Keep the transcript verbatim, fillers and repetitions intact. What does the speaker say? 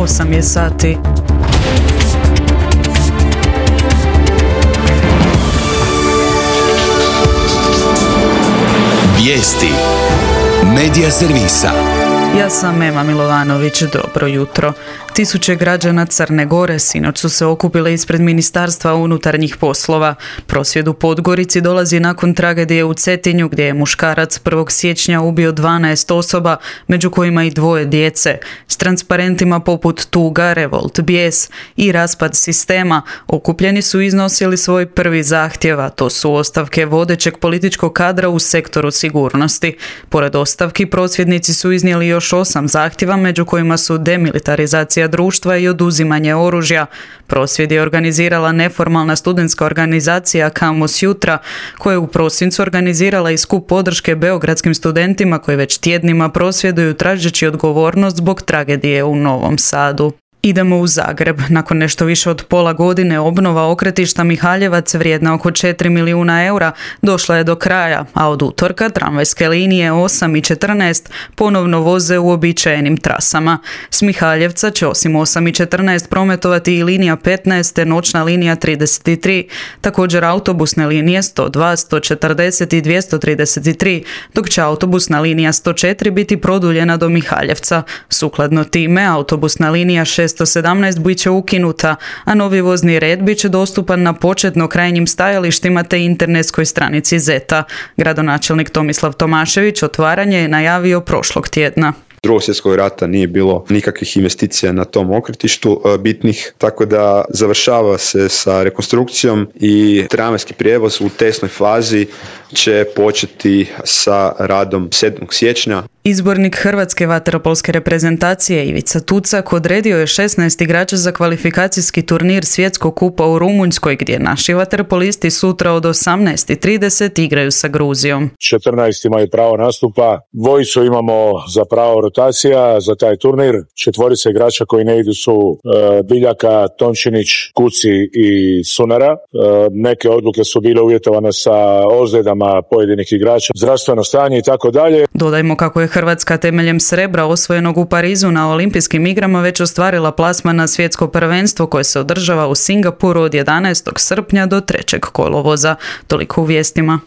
osam je sati. Vijesti Medija servisa. Ja sam Ema Milovanović, dobro jutro. Tisuće građana Crne Gore sinoć su se okupile ispred Ministarstva unutarnjih poslova. Prosvjed u Podgorici dolazi nakon tragedije u Cetinju gdje je muškarac prvog siječnja ubio dvanaest osoba, među kojima i dvoje djece. S transparentima poput tuga, revolt, bijes i raspad sistema okupljeni su iznosili svoj prvi zahtjev, a to su ostavke vodećeg političkog kadra u sektoru sigurnosti. Pored ostavki, prosvjednici su iznijeli još osam zahtjeva, među kojima su demilitarizacija društva i oduzimanje oružja. Prosvjed je organizirala neformalna studentska organizacija Kamos Jutra, koja je u prosincu organizirala i skup podrške beogradskim studentima koji već tjednima prosvjeduju tražeći odgovornost zbog tragedije u Novom Sadu. Idemo u Zagreb. Nakon nešto više od pola godine obnova okretišta Mihaljevac vrijedna oko četiri milijuna eura došla je do kraja, a od utorka tramvajske linije osam i četrnaest ponovno voze u uobičajenim trasama. S Mihaljevca će osim osam i četrnaest prometovati i linija petnaest te noćna linija trideset tri, također autobusne linije sto dva, sto četrdeset i dvjesto trideset tri, dok će autobusna linija sto četiri biti produljena do Mihaljevca. Sukladno time, autobusna linija šesto sedamnaest bit će ukinuta, a novi vozni red bit će dostupan na početno krajnjim stajalištima te internetskoj stranici Zeta. Gradonačelnik Tomislav Tomašević otvaranje je najavio prošlog tjedna. Drugog svjetskog rata nije bilo nikakvih investicija na tom okretištu bitnih, tako da završava se sa rekonstrukcijom i tramvajski prijevoz u tesnoj fazi će početi sa radom sedmog siječnja. Izbornik hrvatske vaterpolske reprezentacije Ivica Tucak odredio je šesnaest igrača za kvalifikacijski turnir Svjetskog kupa u Rumunjskoj, gdje naši vaterpolisti sutra od osamnaest i trideset igraju sa Gruzijom. četrnaest imaju pravo nastupa, dvojicu imamo za pravo rotacija za taj turnir, četvorica igrača koji ne idu su e, Biljaka, Tončinić, Kuci i Sunara. E, neke odluke su bile uvjetovane sa ozljedama pojedinih igrača, zdravstveno stanje i tako dalje. Dodajmo kako je Hrvatska temeljem srebra osvojenog u Parizu na olimpijskim igrama već ostvarila plasman na svjetsko prvenstvo koje se održava u Singapuru od jedanaestog srpnja do trećeg kolovoza. Toliko u vijestima.